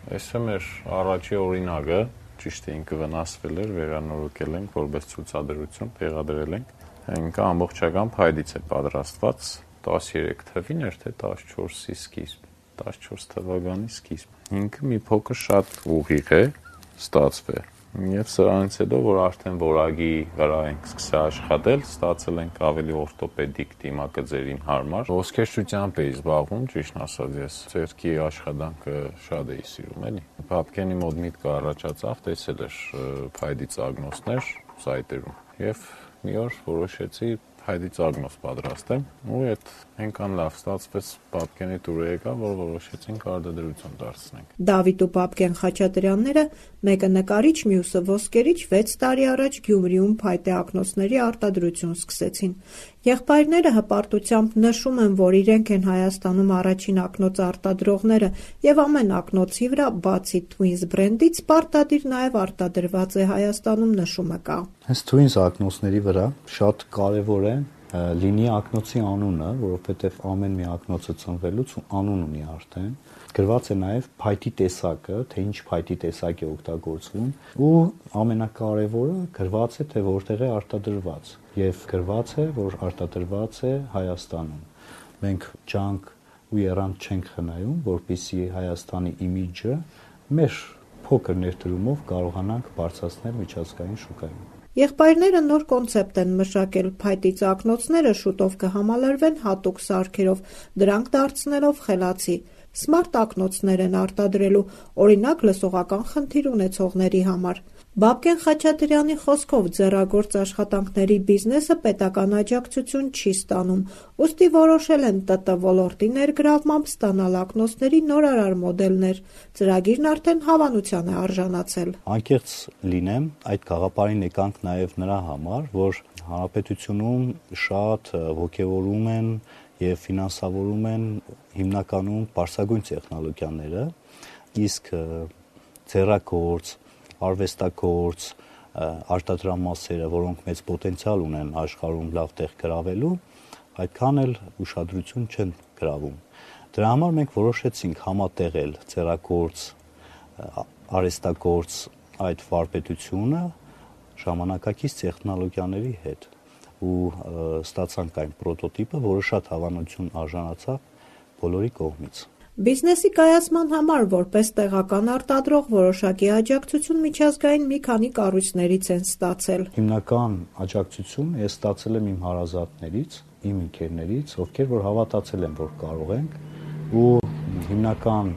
Այս է մեր առաջի օրինակը, ճիշտ է ինքը վնասվել էր, վերանորոգել ենք, որպես ցուցադրություն տեղադրել ենք։ Ինքը ամբողջական փայտից է պատրաստված, 13 թվին էր, թե 14-ի սկիզբ, 14 թվականի սկիզբ։ Ինքը մի փոքր շատ ուղիղ է ստացվել։ Եվ սրանից հետո, որ արդեն որակի վրա ենք սկսել աշխատել, ստացել ենք ավելի օրթոպեդիկ դիմակձերին հարմար։ Ոսկերչությամբ էի զբաղվում, ճիշտն ասած, ես ձեռքի աշխատանքը շատ էի սիրում, էլի։ Բաբկենի մոտ միտքը առաջացավ, տեսել էր փայտի ծագնոցներ սայտերում եւ մի օր որոշեցի փայտի ծագնոց պատրաստեմ ու այդ այնքան լավ ստացվեց Բաբկենի տուրը եկավ, որ որոշեցինք արտադրություն դարձնենք։ Դավիթ ու Բաբկեն Խաչատրյանները, մեկը նկարիչ, մյուսը ոսկերիչ, 6 տարի առաջ Գյումրիում փայտե ակնոցների արտադրություն սկսեցին։ Եղբայրները հպարտությամբ նշում են, որ իրենք են Հայաստանում առաջին ակնոց արտադրողները եւ ամեն ակնոցի վրա, բացի Twins բրենդից, պարտադիր նաեւ արտադրված է Հայաստանում նշումը կա։ Հենց Twins ակնոցների վրա շատ կարեւոր է լինի ակնոցի անունը, որովհետև ամեն մի ակնոցը ծնվելուց անուն ունի արդեն։ Գրված է նաև փայտի տեսակը, թե ինչ փայտի տեսակ է օգտագործվում, ու ամենակարևորը գրված է, թե որտեղ է արտադրված, եւ գրված է, որ արտադրված է Հայաստանում։ Մենք ջանք ու եռանդ չենք խնայում, որպեսզի Հայաստանի իմիջը մեր փոքր ներդրումով կարողանանք բարձրացնել միջազգային շուկայում։ Եղբայրները նոր կոնցեպտ են մշակել, փայտից ակնոցները շուտով կհամալրվեն հատուկ սարքերով, դրանք դարձնելով խելացի։ Սմարթ ակնոցներ են արտադրելու, օրինակ լսողական խնդիր ունեցողների համար։ Բաբկեն Խաչատրյանի խոսքով ձեռագործ աշխատանքների բիզնեսը պետական աջակցություն չի ստանում, ուստի որոշել են ՏՏ ոլորտի ներգրավմամբ ստանալ ակնոցների նորարար մոդելներ։ Ծրագիրն արդեն հավանության է արժանացել։ Անկեղծ լինեմ, այդ գաղափարին եկանք նաև նրա համար, որ հանրապետությունում շատ ոգևորում են եւ ֆինանսավորում են հիմնականում բարձրագույն տեխնոլոգիաները, իսկ ձեռագործ, արվեստագործ արտադրամասերը, որոնք մեծ պոտենցիալ ունեն աշխարհում լավ տեղ գրավելու, այդքան էլ ուշադրություն չեն գրավում։ Դրա համար մենք որոշեցինք համատեղել ձեռագործ, արհեստագործ այդ վարպետությունը ժամանակակից տեխնոլոգիաների հետ ու ստացանք այն պրոտոտիպը, որը շատ հավանություն արժանացավ բոլորի կողմից։ Բիզնեսի կայացման համար որպես տեղական արտադրող որոշակի աջակցություն միջազգային մի քանի կառույցներից են ստացել։ Հիմնական աջակցություն ես ստացել եմ իմ հարազատներից, իմ ընկերներից, ովքեր որ հավատացել են, որ կարող ենք, ու հիմնական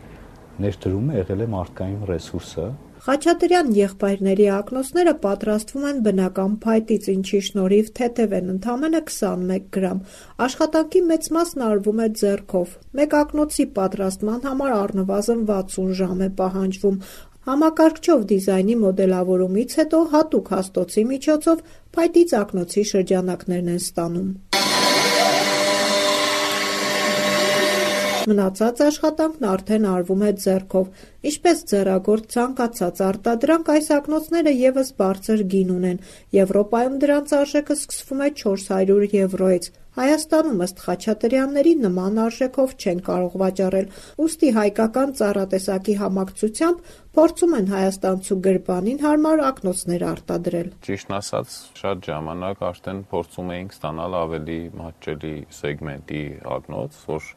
ներդրումը եղել է մարդկային ռեսուրսը։ Խաչատրյան եղբայրների ակնոցները պատրաստվում են բնական փայտից, ինչի շնորհիվ թեթև են ընդամենը 21 գրամ։ Աշխատանքի մեծ մասն արվում է ձեռքով։ Մեկ ակնոցի պատրաստման համար առնվազն 60 ժամ է պահանջվում։ Համակարգչով դիզայնի մոդելավորումից հետո հատուկ հաստոցի միջոցով փայտից ակնոցի շրջանակներն են ստանում։ Մնացած աշխատանքն արդեն արվում է ձեռքով։ Ինչպես ձեռագործ ցանկացած արտադրանք, այս ակնոցները ևս բարձր գին ունեն։ Եվրոպայում դրանց արժեքը սկսվում է 400 եվրոյից։ Հայաստանում ըստ Խաչատրյանների նման արժեքով չեն կարող վաճառել, ուստի հայկական ծառատեսակի համակցությամբ փորձում են հայաստանցու գրբանին հարմար ակնոցներ արտադրել։ Ճիշտն ասած, շատ ժամանակ արդեն փորձում էինք ստանալ ավելի մատչելի սեգմենտի ակնոց, որ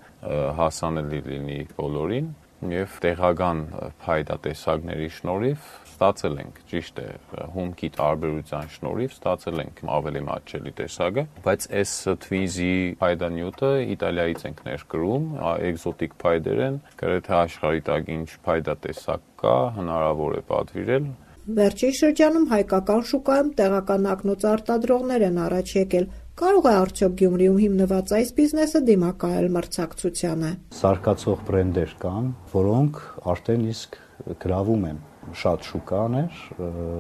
հասանելի լինի բոլորին, եւ տեղական փայտատեսակների շնորհիվ ստացել ենք, ճիշտ է, հումքի տարբերության շնորհիվ ստացել ենք ավելի մատչելի տեսակը, բայց այս Twins-ի փայտանյութը Իտալիայից ենք ներկրում, էկզոտիկ փայտեր են, գրեթե աշխարհի տակ ինչ փայտատեսակ կա, հնարավոր է պատվիրել։ Վերջին շրջանում հայկական շուկայում տեղական ակնոց արտադրողներ են առաջ եկել։ Կարող է արդյոք Գյումրիում հիմնված այս բիզնեսը դիմակայել մրցակցությանը։ Սարկացող բրենդեր կան, որոնք արդեն իսկ գրավում են շատ շուկաներ,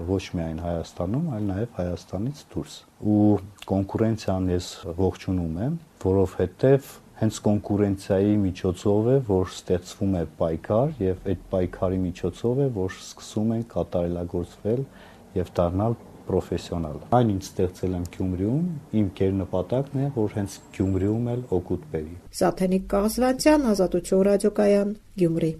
ոչ միայն Հայաստանում, այլ նաև Հայաստանից դուրս։ Ու կոնկուրենցիան ես ողջունում եմ, որովհետև հենց կոնկուրենցիայի միջոցով է, որ ստեղծվում է պայքար, եւ այդ պայքարի միջոցով է, որ սկսում են կատարելագործվել եւ դառնալ պրոֆեսիոնալ։ Այն ինչ ստեղծել եմ Գյումրիում, իմ կերնպատակն է, որ հենց Գյումրիում էլ օգուտ բերի։ Սաթենիկ Կաղզվանցյան, Ազատություն ռադիոկայան, Գյումրի։